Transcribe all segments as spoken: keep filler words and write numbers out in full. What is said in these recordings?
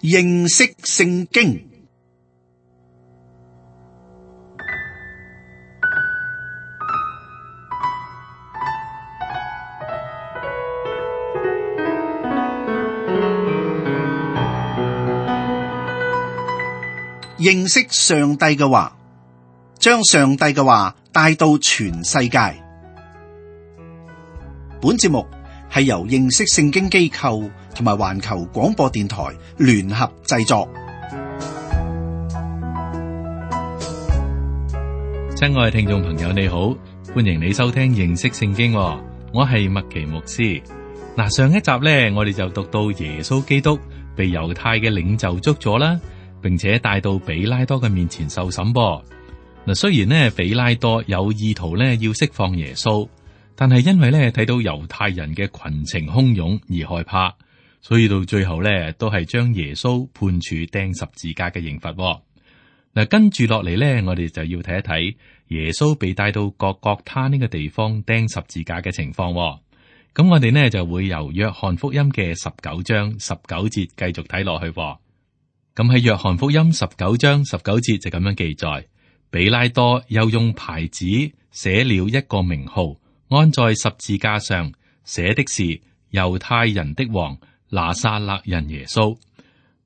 認識聖經。認識上帝嘅話，將上帝嘅話帶到全世界。本節目係由認識聖經機構同埋環球廣播電台聯合製作。親愛嘅聽眾朋友，你好，歡迎你收聽認識聖經。我係麥奇牧師。嗱，上一集呢，我哋就讀到耶穌基督被猶太嘅領袖捉咗啦，並且帶到比拉多嘅面前受審噃。嗱，雖然呢，比拉多有意圖呢要釋放耶穌，但係因為呢睇到猶太人嘅群情洶湧而害怕，所以到最後呢都係將耶穌判處釘十字架嘅刑罰。嗱，跟住落嚟呢，我哋就要睇一睇耶穌被帶到各各他呢個地方釘十字架嘅情況。咁我哋呢就會由約翰福音嘅十九章十九節繼續睇落去。咁喺約翰福音十九章十九節就咁樣記載，比拉多又用牌子寫了一個名號，安在十字架上，寫的是猶太人的王拿撒勒人耶穌。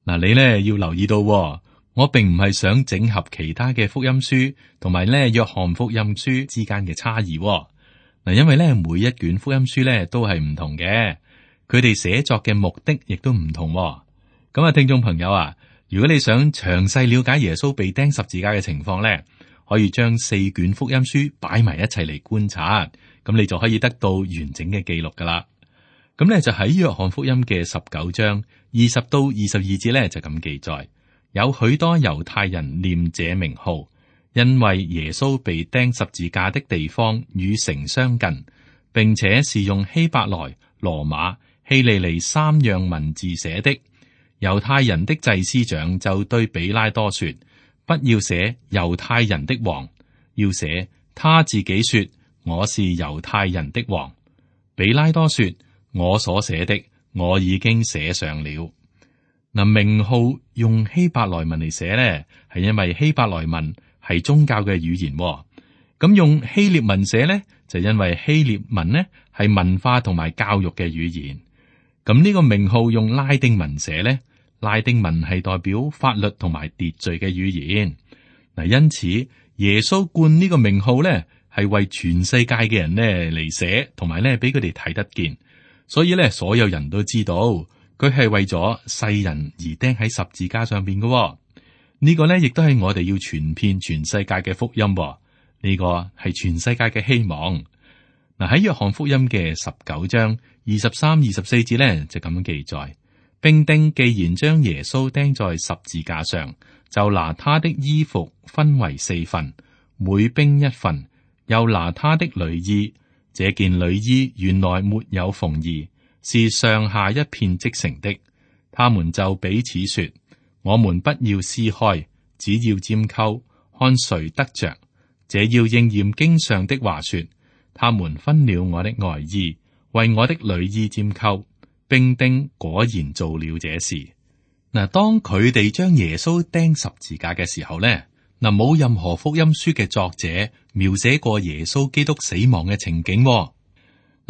嗱，你呢要留意到，我並唔係想整合其他嘅福音書同埋呢約翰福音書之間嘅差異。嗱，因為呢每一卷福音書呢都係唔同嘅，佢哋寫作嘅目的亦都唔同。咁啊，聽眾朋友啊，如果你想詳細了解耶穌被釘十字架嘅情況咧，可以將四卷福音書擺埋一齊嚟觀察，咁你就可以得到完整嘅記錄噶啦。咁咧就喺約翰福音嘅十九章二十到二十二節咧就咁記載，有許多猶太人念這名號，因為耶穌被釘十字架的地方與城相近，並且是用希伯來、羅馬、希利尼三樣文字寫的。猶太人的祭司長就對比拉多說：不要寫猶太人的王，要寫他自己說我是猶太人的王。比拉多說：我所寫的我已經寫上了。嗱，名號用希伯來文嚟寫呢，係因為希伯來文係宗教嘅語言。咁用希臘文寫呢，就因為希臘文呢係文化同埋教育嘅語言。咁呢個名號用拉丁文寫呢，拉丁文係代表法律同埋秩序嘅語言。嗱，因此耶穌冠呢個名號咧，係為全世界嘅人咧嚟寫，同埋咧俾佢哋睇得見。所以咧，所有人都知道佢係為咗世人而釘喺十字架上邊嘅。呢個咧亦都係我哋要傳遍全世界嘅福音。呢個係全世界嘅希望。嗱，喺約翰福音嘅十九章二十三、二十四節咧就咁樣記載。兵丁既然將耶穌釘在十字架上，就拿他的衣服分為四份，每兵一份，又拿他的裡衣。這件裡衣原來沒有縫兒，是上下一片織成的。他們就彼此說：我們不要撕開，只要拈鬮，看誰得着。這要應驗經上的話說：他們分了我的外衣，為我的裡衣拈鬮。兵丁果然做了這事。嗱，當佢哋將耶穌釘十字架嘅時候咧，嗱，冇任何福音書嘅作者描寫過耶穌基督死亡嘅情景。嗱，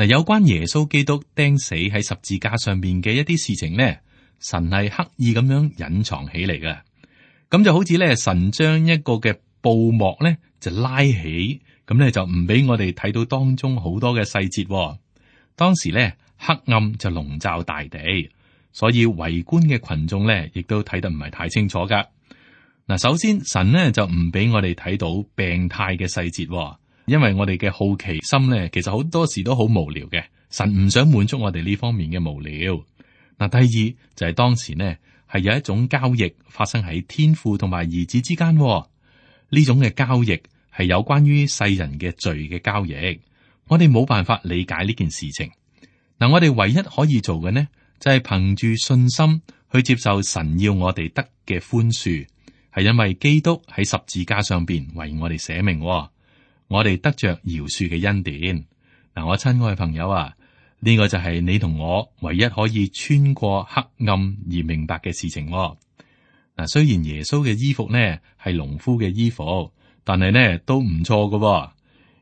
有關耶穌基督釘死喺十字架上面嘅一啲事情咧，神係刻意咁樣隱藏起嚟嘅。咁就好似咧，神將一個嘅布幕咧就拉起，咁咧就唔俾我哋睇到當中好多嘅細節。當時咧，黑暗就籠罩大地，所以圍觀嘅群眾咧，亦都睇得唔係太清楚噶。嗱，首先神呢就唔俾我哋睇到病態嘅細節，因為我哋嘅好奇心咧，其實好多時都好無聊嘅。神唔想滿足我哋呢方面嘅無聊。嗱，第二就係、是、當時呢係有一種交易發生喺天父同埋兒子之間，呢種嘅交易係有關於世人嘅罪嘅交易。我哋冇辦法理解呢件事情。嗱，我哋唯一可以做嘅呢，就係憑住信心去接受神要我哋得嘅寬恕，係因為基督喺十字架上邊為我哋捨命，我哋得着饒恕嘅恩典。嗱，我親愛嘅朋友啊，呢個就係你同我唯一可以穿過黑暗而明白嘅事情。嗱，雖然耶穌嘅衣服呢係農夫嘅衣服，但係呢都唔錯㗎。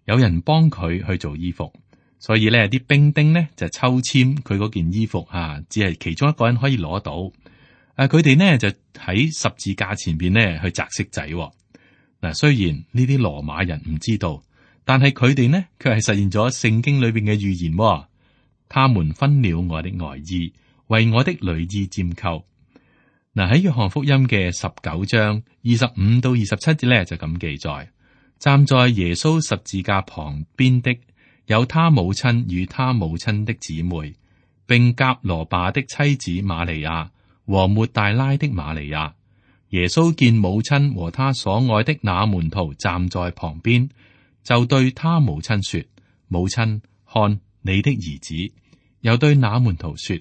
有人幫佢去做衣服，所以呢啲兵丁呢就抽籤佢嗰件衣服啊，只係其中一個人可以攞到。誒，佢哋呢就喺十字架前邊呢去擲骰仔。嗱，雖然呢啲羅馬人唔知道，但係佢哋呢卻係實現咗聖經裏邊嘅預言。他們分了我的外衣，為我的裡衣拈鬮。嗱，喺約翰福音嘅十九章二十五到二十七節咧就咁記載：站在耶穌十字架旁邊的有他母親與他母親的姊妹，並革羅巴的妻子瑪利亞和抹大拉的瑪利亞。耶穌見母親和他所愛的那門徒站在旁邊，就對他母親說：母親，看你的兒子。又對那門徒說：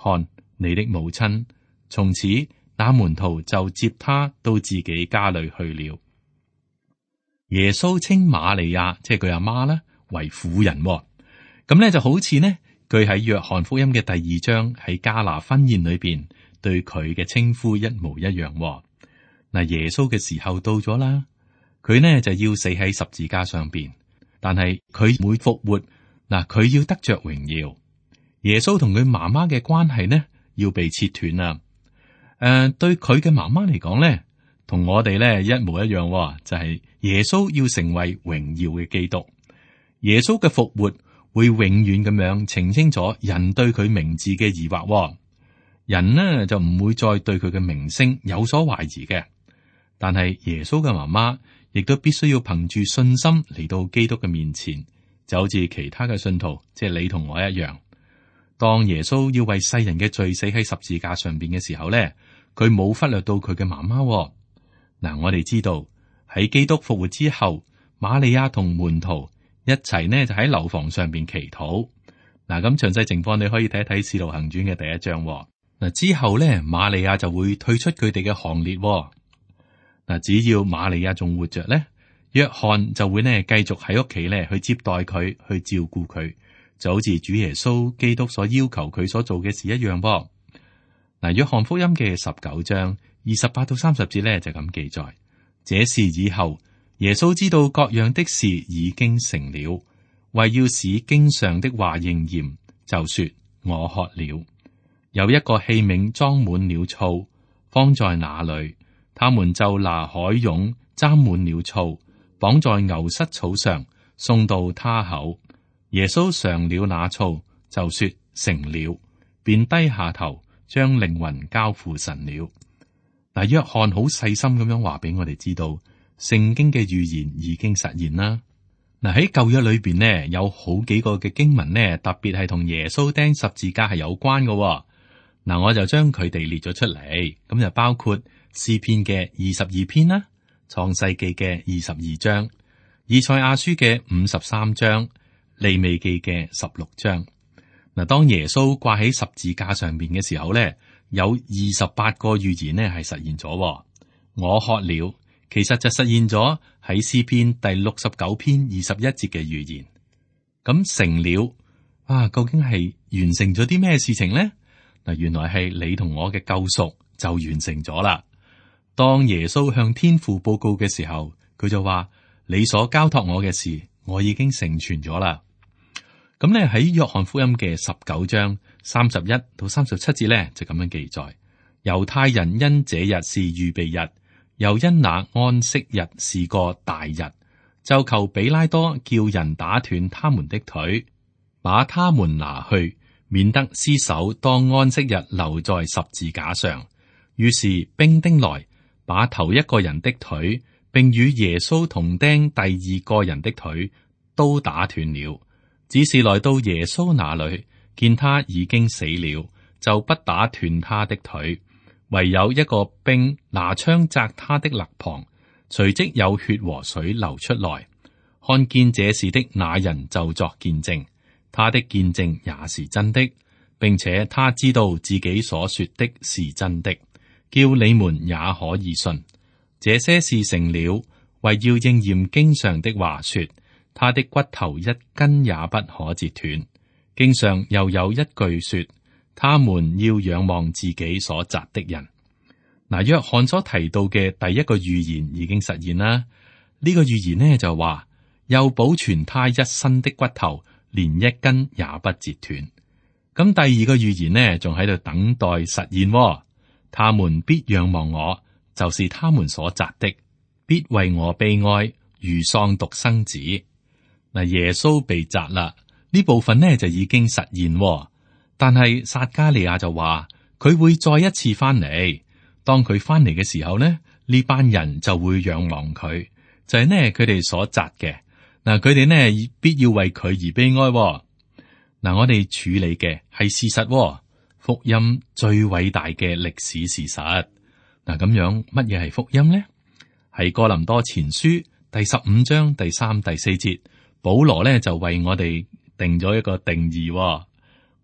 看你的母親。從此那門徒就接他到自己家裏去了。耶穌稱瑪利亞，即係佢阿媽啦，為婦人。咁呢就好似呢，佢喺約翰福音嘅第二章喺迦拿婚宴裏邊對佢嘅稱呼一模一樣。嗱，耶穌嘅時候到咗啦，佢呢就要死喺十字架上邊，但係佢會復活。嗱，佢要得着榮耀。耶穌同佢媽媽嘅關係呢，要被切斷啦。誒、呃，對佢嘅媽媽嚟講呢，同我哋呢一模一樣，就係、是、耶穌要成為榮耀嘅基督。耶穌嘅復活會永遠咁樣澄清咗人對佢名字嘅疑惑。人呢就唔會再對佢嘅名聲有所懷疑嘅。但係耶穌嘅媽媽亦都必須要憑住信心嚟到基督嘅面前，就好似其他嘅信徒，即係你同我一樣。當耶穌要為世人嘅罪死喺十字架上邊嘅時候咧，佢冇忽略到佢嘅媽媽。嗱，我哋知道喺基督復活之後，瑪利亞同門徒一齊呢就喺樓房上邊祈禱。嗱，咁詳細情況你可以睇一睇《使徒行傳》嘅第一章。嗱，之後咧，瑪利亞就會退出佢哋嘅行列。嗱，只要瑪利亞仲活着咧，約翰就會呢繼續喺屋企咧去接待佢，去照顧佢。就好似主耶穌基督所要求佢所做嘅事一樣噃。嗱，約翰福音嘅十九章二十八到三十節咧就咁記載：這事以後，耶穌知道各樣的事已經成了，為要使經上的話應驗，就說：我渴了。有一個器皿裝滿了醋，放在那裏，他們就拿海湧沾滿了醋，綁在牛膝草上，送到他口。耶穌嘗了那醋，就說成了，便低下頭，將靈魂交付神了。嗱，約翰好細心咁樣話俾我哋知道，聖經嘅預言已經實現啦。嗱，喺舊約裏邊呢，有好幾個嘅經文呢，特別係同耶穌釘十字架係有關嘅。嗱，我就將佢哋列咗出嚟，咁就包括詩篇嘅二十二篇啦，創世記嘅二十二章，以賽亞書嘅五十三章。利未記嘅十六章。嗱，當耶穌掛喺十字架上邊嘅時候咧，有二十八個預言呢係實現咗。我渴了，其實就實現咗喺詩篇第六十九篇二十一節嘅預言。咁成了啊，究竟係完成咗啲咩事情呢？嗱，原來係你同我嘅救贖就完成咗啦。當耶穌向天父報告嘅時候，佢就話：你所交託我嘅事，我已經成全咗啦。咁咧喺約翰福音嘅十九章三十一到三十七節咧就咁樣記載：猶太人因這日是預備日，又因那安息日是個大日，就求比拉多叫人打斷他們的腿，把他們拿去，免得屍首當安息日留在十字架上。於是兵丁來，把頭一個人的腿，並與耶穌同釘第二個人的腿都打斷了。只是來到耶穌那裏，見他已經死了，就不打斷他的腿，唯有一個兵拿槍扎他的肋旁，隨即有血和水流出來。看見這事的那人就作見證，他的見證也是真的，並且他知道自己所說的是真的，叫你們也可以信。這些事成了，為要應驗經上的話說，他的骨頭一根也不可折斷。經上又有一句說：他們要仰望自己所扎的人。嗱，約翰所提到嘅第一個預言已經實現啦。呢個預言呢就話，又保存他一身的骨頭，連一根也不折斷。咁第二個預言呢，仲喺度等待實現。他們必仰望我，就是他們所扎的，必為我悲哀，如喪獨生子。嗱，耶穌被扎啦，呢部分呢就已經實現。但係撒迦利亞就話佢會再一次翻嚟。當佢翻嚟嘅時候呢，呢班人就會仰望佢，就係呢佢哋所扎嘅。嗱，佢哋呢必要為佢而悲哀。嗱，我哋處理嘅係事實，福音最偉大嘅歷史事實。嗱，咁樣乜嘢係福音呢？係哥林多前書第十五章第三、第四節，保羅呢就為我哋定咗一個定義。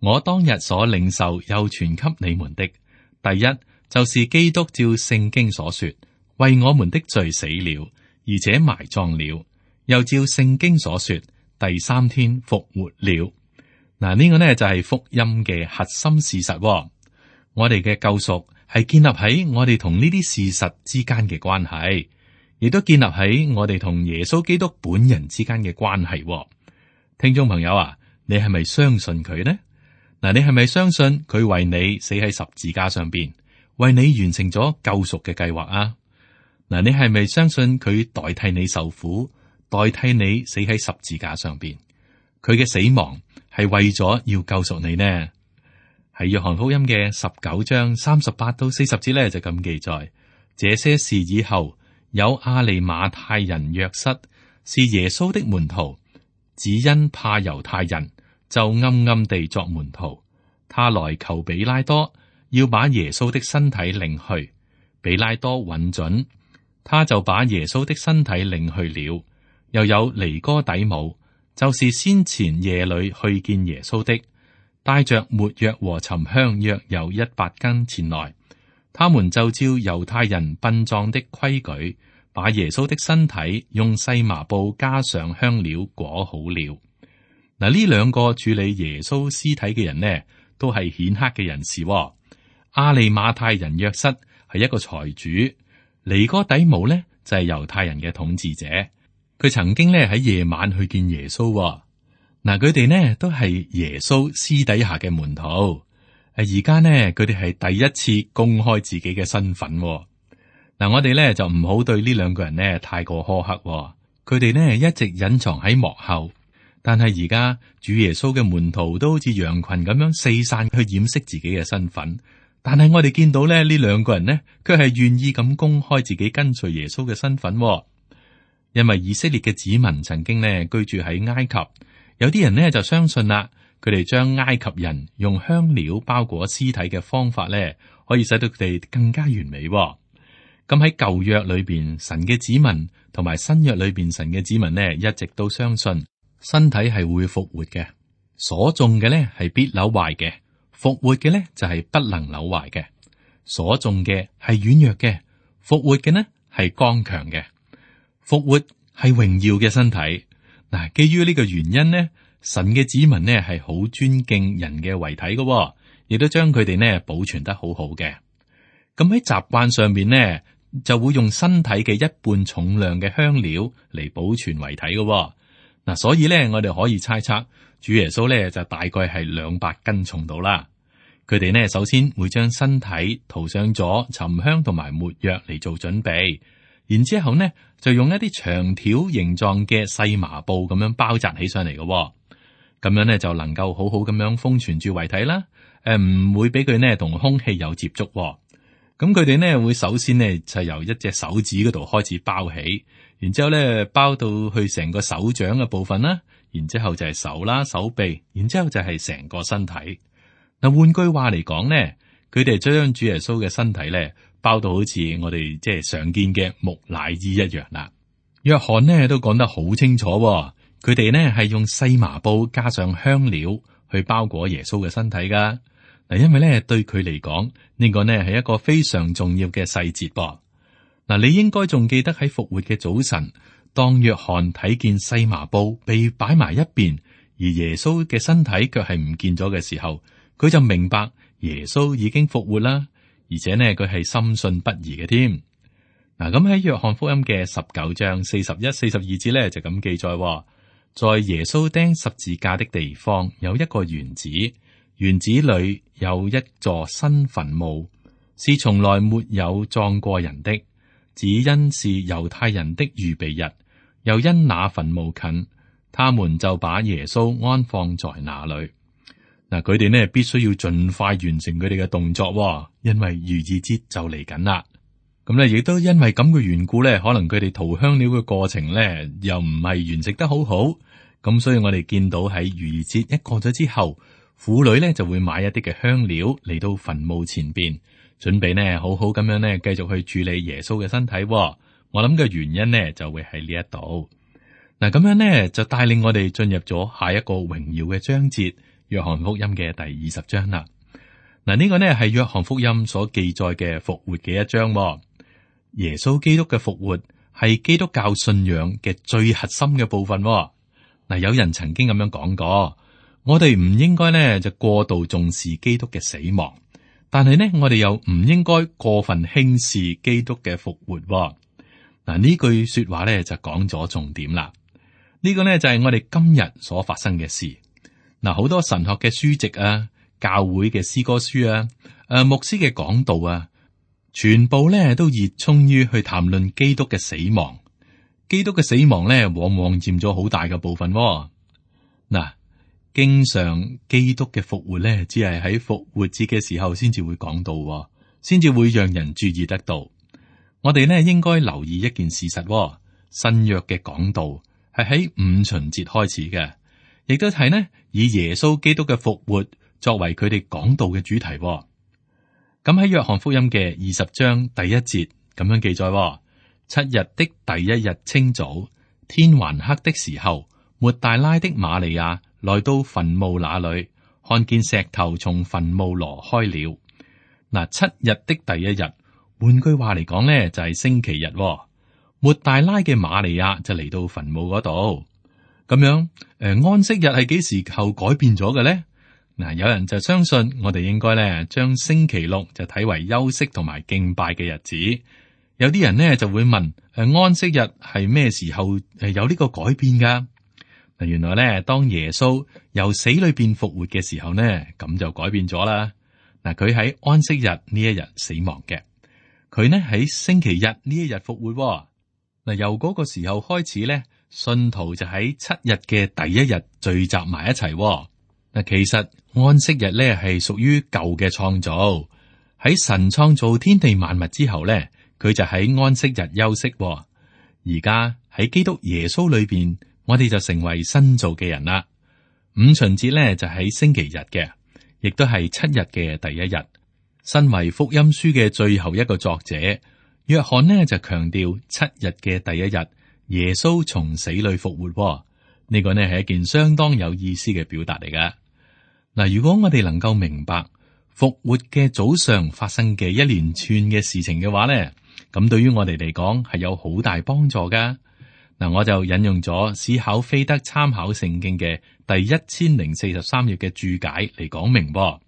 我當日所領受又傳給你們的，第一就是基督照聖經所說，為我們的罪死了，而且埋葬了，又照聖經所說，第三天復活了。嗱，呢個呢就係福音嘅核心事實。我哋嘅救贖係建立喺我哋同呢啲事實之間嘅關係，亦都建立喺我哋同耶穌基督本人之間嘅關係。聽眾朋友啊，你係咪相信佢呢？嗱，你係咪相信佢為你死喺十字架上邊，為你完成咗救贖嘅計劃啊？嗱，你係咪相信佢代替你受苦，代替你死喺十字架上邊？佢嘅死亡係為咗要救贖你呢？喺約翰福音嘅十九章三十八到四十節咧就咁記載：這些事以後，有亞利馬太人約瑟，是耶穌的門徒，只因怕猶太人，就暗暗地作門徒。他來求比拉多，要把耶穌的身體領去。比拉多允准，他就把耶穌的身體領去了。又有尼哥底母，就是先前夜裏去見耶穌的，帶着沒藥和沉香約有一百斤前來。他們就照猶太人殯葬的規矩，把耶穌的身體用細麻布加上香料裹好了。嗱，呢兩個處理耶穌屍體嘅人呢，都係顯赫嘅人士。亞利馬太人約瑟係一個財主，尼哥底母呢就係猶太人嘅統治者。佢曾經呢喺夜晚去見耶穌。嗱，佢哋呢都係耶穌私底下嘅門徒。誒，而家呢佢哋係第一次公開自己嘅身份。嗱，我哋呢就唔好對呢兩個人呢太過苛刻。佢哋呢一直隱藏喺幕後。但係而家主耶穌嘅門徒都好似羊群咁樣四散去掩飾自己嘅身份，但係我哋見到咧呢兩個人呢，佢係願意咁公開自己跟隨耶穌嘅身份。因為以色列嘅子民曾經呢居住喺埃及，有啲人呢就相信啦，佢哋將埃及人用香料包裹屍體嘅方法呢，可以使到佢哋更加完美。咁喺舊約裏邊，神嘅子民同埋新約裏邊神嘅子民呢，一直都相信身體係會復活嘅，所種嘅咧係必朽壞嘅，復活嘅咧就係不能朽壞嘅。所種嘅係軟弱嘅，復活嘅呢係剛強嘅。復活係榮耀嘅身體。嗱，基於呢個原因呢，神嘅子民呢係好尊敬人嘅遺體嘅，亦都將佢哋呢保存得好好嘅。咁喺習慣上面呢，就會用身體嘅一半重量嘅香料嚟保存遺體嘅。嗱，所以咧，我哋可以猜測，主耶穌咧就大概係兩百斤重度啦。佢哋呢，首先會將身體塗上咗沉香同埋沒藥嚟做準備，然之後呢就用一啲長條形狀嘅細麻布咁樣包紮起上嚟嘅，咁樣呢就能夠好好咁樣封存住遺體啦。誒、呃，唔會俾佢呢同空氣有接觸。咁佢哋呢會首先呢就由一隻手指嗰度開始包起。然之後咧，包到去成個手掌嘅部分啦，然之後就係手啦、手臂，然之後就係成個身體。嗱，換句話嚟講咧，佢哋將主耶穌嘅身體咧包到好似我哋即係常見嘅木乃伊一樣啦。約翰呢都講得好清楚，佢哋呢係用細麻布加上香料去包裹耶穌嘅身體噶。嗱，因為咧對佢嚟講，呢個呢係一個非常重要嘅細節噃。嗱，你應該仲記得喺復活嘅早晨，當約翰睇見細麻布被擺埋一邊，而耶穌嘅身體卻係唔見咗嘅時候，佢就明白耶穌已經復活啦，而且呢，佢係深信不疑嘅添。嗱，咁喺約翰福音嘅十九章四十一、四十二節咧就咁記載，在耶穌釘十字架的地方有一個園子，園子裏有一座新墳墓，是從來沒有葬過人的，只因是猶太人的預備日，又因那墳墓近，他們就把耶穌安放在那裏。嗱，佢哋呢必須要盡快完成佢哋嘅動作，因為逾越節就嚟緊啦。咁咧，亦都因為咁嘅緣故咧，可能佢哋塗香料嘅過程咧，又唔係完成得好好。咁所以我哋見到喺逾越節一過咗之後，婦女咧就會買一啲嘅香料嚟到墳墓前邊，準備呢好好咁樣咧繼續去處理耶穌嘅身體。我諗嘅原因呢就會喺呢一度。嗱，咁樣呢就帶領我哋進入咗下一個榮耀嘅章節，約翰福音嘅第二十章啦。嗱，呢個呢係約翰福音所記載嘅復活嘅一章。耶穌基督嘅復活係基督教信仰嘅最核心嘅部分。嗱，有人曾經咁樣講過，我哋唔應該呢就過度重視基督嘅死亡，但係呢我哋又唔應該過分輕視基督嘅復活。嗱，呢句說話呢就講咗重點啦。呢個呢就係我哋今日所發生嘅事。嗱，好多神學嘅書籍啊，教會嘅詩歌書啊，誒，牧師嘅講道啊。全部咧都熱衷於去談論基督嘅死亡，基督嘅死亡咧往往佔咗好大嘅部分。嗱，經常基督嘅復活咧，只係喺復活節嘅時候先至會講到，先至會讓人注意得到。我哋咧應該留意一件事實，新約嘅講道係喺五旬節開始嘅，亦都係呢以耶穌基督嘅復活作為佢哋講道嘅主題。咁喺約翰福音嘅二十章第一節咁樣記載：七日的第一日清早，天還黑的時候，抹大拉的瑪利亞來到墳墓那裏，看見石頭從墳墓挪開了。嗱，七日的第一日，換句話嚟講呢，就係星期日。抹大拉嘅瑪利亞就嚟到墳墓嗰度。咁樣，誒，安息日係幾時候改變咗嘅咧？嗱，有人就相信我哋應該咧將星期六就睇為休息同埋敬拜嘅日子。有啲人呢就會問：誒，安息日係咩時候誒有呢個改變噶？嗱，原來咧當耶穌由死裏邊復活嘅時候呢，咁就改變咗啦。嗱，佢喺安息日呢一日死亡嘅，佢呢喺星期日呢一日復活。嗱，由嗰個時候開始咧，信徒就喺七日嘅第一日聚集埋一齊。嗱，其實安息日咧係屬於舊嘅創造，喺神創造天地萬物之後咧，佢就喺安息日休息。而家喺基督耶穌裏邊，我哋就成為新造嘅人啦。五旬節咧就喺星期日嘅，亦都係七日嘅第一日。身為福音書嘅最後一個作者，約翰呢就強調七日嘅第一日，耶穌從死裏復活。呢個呢係一件相當有意思嘅表達嚟噶。嗱，如果我哋能夠明白復活嘅早上發生嘅一連串嘅事情嘅話呢，咁對於我哋嚟講係有好大幫助噶。嗱，我就引用咗史考菲德參考聖經嘅第一千零四十三頁嘅注解嚟講明。咁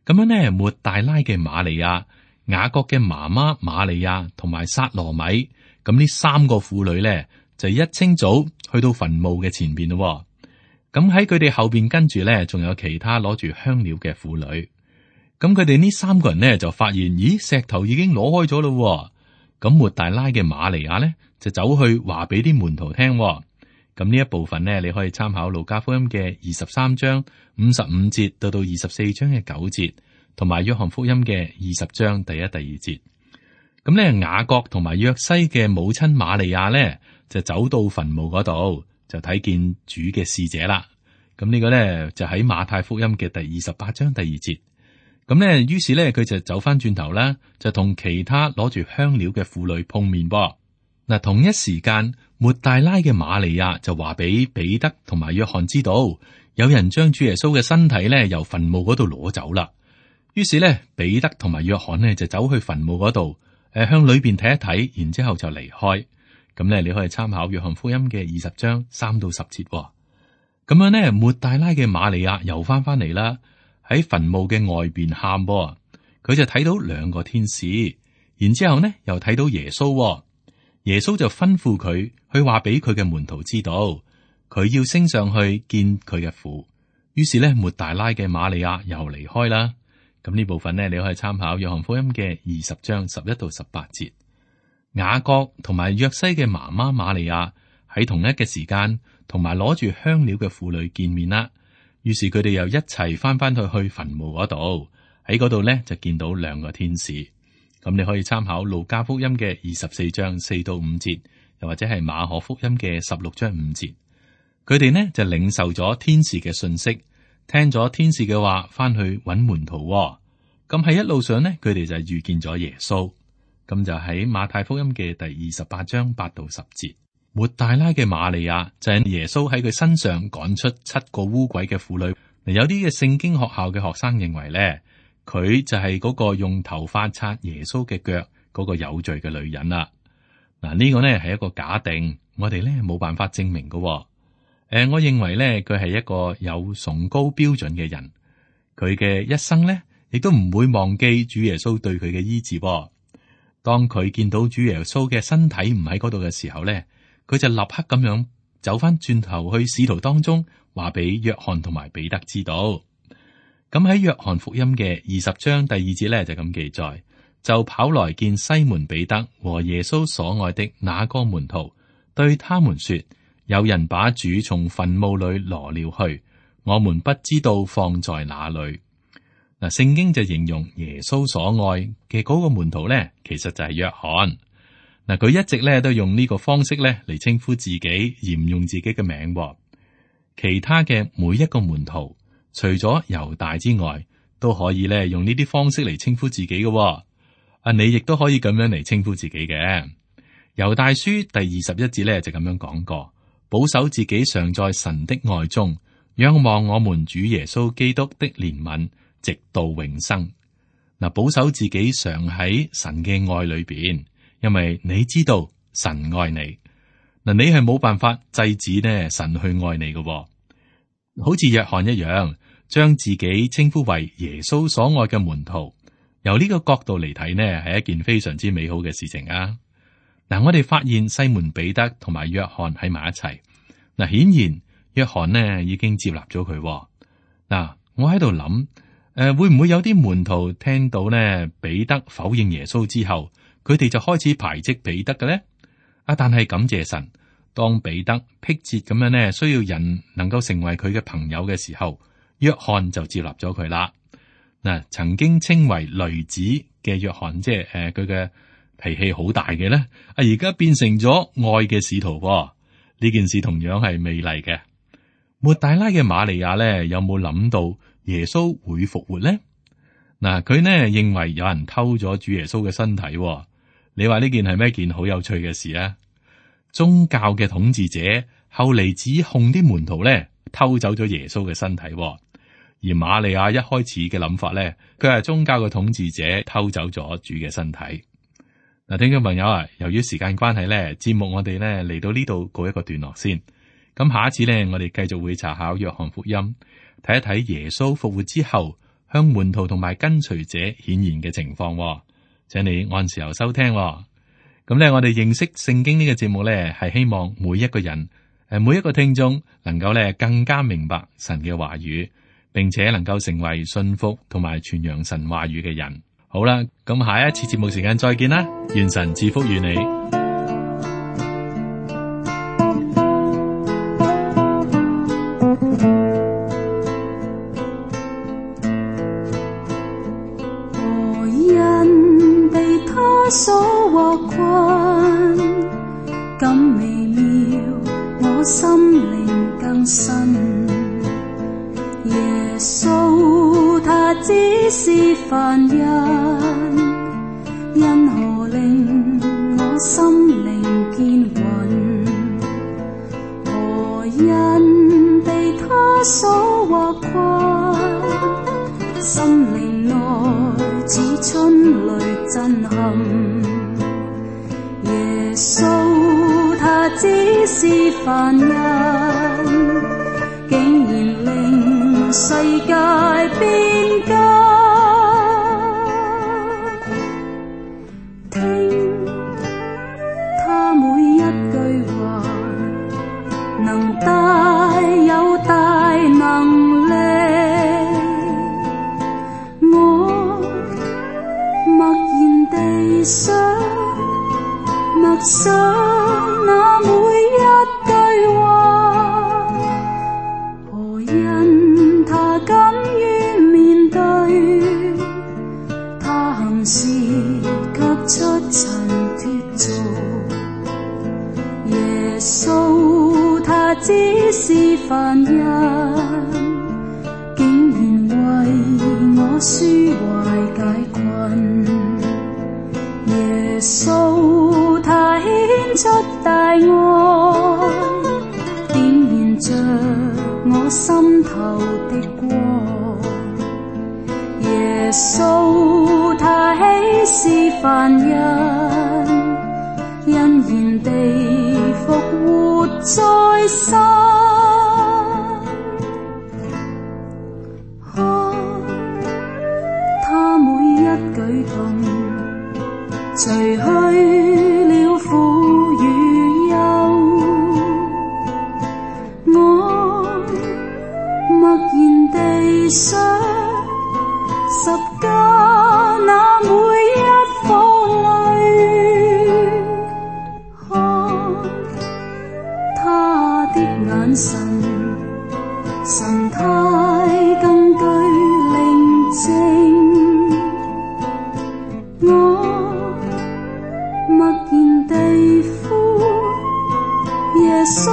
樣呢，抹大拉嘅瑪利亞、雅各嘅媽媽瑪利亞同埋撒羅米，咁呢三個婦女呢，就一清早去到墳墓嘅前邊咯。咁喺佢哋後邊跟住咧，仲有其他攞住香料嘅婦女。咁佢哋呢三個人呢，就發現，咦，石頭已經攞開咗咯。咁抹大拉嘅瑪利亞咧就走去話俾啲門徒聽。咁呢一部分呢，你可以參考路加福音嘅二十三章五十五節到到二十四章嘅九節，同埋約翰福音嘅二十章第一、第二節。咁咧，雅各同埋約西嘅母親瑪利亞咧就走到墳墓嗰度，就睇見主嘅使者啦。咁呢個咧就喺馬太福音嘅第二十八章第二節。咁咧，於是咧佢就走翻轉頭啦，就同其他攞住香料嘅婦女碰面噃。嗱，同一時間，抹大拉嘅瑪利亞就話俾彼得同埋約翰知道，有人將主耶穌嘅身體咧由墳墓嗰度攞走啦。於是咧，彼得同埋約翰呢就走去墳墓嗰度，誒向裏邊睇一睇，然之後就離開。咁咧，你可以參考約翰福音嘅二十章三到十節。咁樣呢，抹大拉嘅瑪利亞又翻翻嚟啦，喺墳墓嘅外邊喊噃，佢就睇到兩個天使，然之後呢又睇到耶穌，耶穌就吩咐佢去話俾佢嘅門徒知道，佢要升上去見佢嘅父。於是呢，抹大拉嘅瑪利亞又離開啦。咁呢部分呢，你可以參考約翰福音嘅二十章十一到十八節。雅各同埋約西嘅媽媽瑪利亞喺同一嘅時間，同埋攞住香料嘅婦女見面啦。於是佢哋又一齊翻翻去去墳墓嗰度，喺嗰度呢，就見到兩個天使。咁你可以參考路加福音嘅二十四章四到五節，又或者係馬可福音嘅十六章五節。佢哋呢就領受咗天使嘅信息，聽咗天使嘅話，翻去揾門徒。咁喺一路上呢，佢哋就遇見咗耶穌。咁就喺馬太福音嘅第二十八章八到十節。抹大拉嘅瑪利亞就係耶穌喺佢身上趕出七個污鬼嘅婦女。有啲嘅聖經學校嘅學生認為咧，佢就係嗰個用頭髮擦耶穌嘅腳嗰個有罪嘅女人啦。嗱，呢個呢係一個假定，我哋咧冇辦法證明嘅。誒、呃，我認為咧佢係一個有崇高標準嘅人，佢嘅一生咧亦都唔會忘記主耶穌對佢嘅醫治。當佢見到主耶穌嘅身體唔喺嗰度嘅時候咧，佢就立刻咁樣走翻轉頭去使徒當中，話俾約翰同埋彼得知道。咁喺約翰福音嘅二十章第二節咧就咁記載，就跑來見西門彼得和耶穌所愛的那個門徒，對他們說：有人把主從墳墓裏挪了去，我們不知道放在哪裏。嗱，聖經就形容耶穌所愛嘅嗰個門徒咧，其實就係約翰。嗱，佢一直咧都用呢個方式咧嚟稱呼自己，而唔用自己嘅名。其他嘅每一個門徒，除咗猶大之外，都可以咧用呢啲方式嚟稱呼自己嘅。啊，你亦都可以咁樣嚟稱呼自己嘅。猶大書第二十一節咧就咁樣講過：保守自己常在神的愛中，仰望我們主耶穌基督的憐憫，直到永生。嗱，保守自己常喺神嘅愛裏邊，因為你知道神愛你。嗱，你係冇辦法制止呢神去愛你嘅，好似約翰一樣，將自己稱呼為耶穌所愛嘅門徒。由呢個角度嚟睇呢，係一件非常之美好嘅事情啊！嗱，我哋發現西門彼得同埋約翰喺埋一齊。嗱，顯然約翰呢已經接納咗佢。嗱，我喺度諗。誒、呃，會唔會有啲門徒聽到呢彼得否認耶穌之後，佢哋就開始排斥彼得嘅咧？啊，但係感謝神，當彼得迫切咁樣呢需要人能夠成為佢嘅朋友嘅時候，約翰就接納咗佢啦。嗱、呃，曾經稱為雷子嘅約翰，即係誒佢嘅脾氣好大嘅咧，啊而家變成咗愛嘅使徒。呢件事同樣係美麗嘅。抹大拉嘅瑪利亞咧，有冇諗到耶穌會復活咧？嗱，佢呢認為有人偷咗主耶穌嘅身體。你話呢件係咩一件好有趣嘅事啊？宗教嘅統治者後嚟指控啲門徒咧偷走咗耶穌嘅身體，而瑪利亞一開始嘅諗法咧，佢係宗教嘅統治者偷走咗主嘅身體。嗱，聽眾朋友啊，由於時間關係咧，節目我哋咧嚟到呢度告一個段落先。咁下一次咧，我哋繼續會查考約翰福音，睇一睇耶穌復活之後向門徒同埋跟隨者顯現嘅情況。請你按時候收聽。咁咧，我哋認識聖經呢個節目咧，係希望每一個人誒，每一個聽眾能夠咧更加明白神嘅話語，並且能夠成為信服同埋傳揚神話語嘅人。好啦，咁下一次節目時間再見啦，願神賜福與你。所獲困，更微妙，我心靈更新。耶穌他只是凡人，因何令我心靈堅穩？何因被他所獲困？心靈內似春雷震撼。耶穌他只是凡人，竟然令世界變家。聽他每一句話，能帶有大能力。我默然地想，默想那每一句話，何因他敢於面對，他行事卻出塵脫俗。耶穌他只是凡人，竟然為我紓懷解困。耶穌他顯出大愛，點燃着我心頭的光。耶穌他豈是凡人，欣然地復活在生。看他每一舉動，除去了苦與憂，我默然地想，十架那每一顆淚，看他的眼神，神態更具寧靜。我默然地呼耶穌，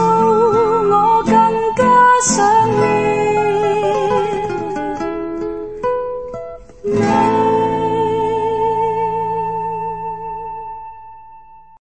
我更加想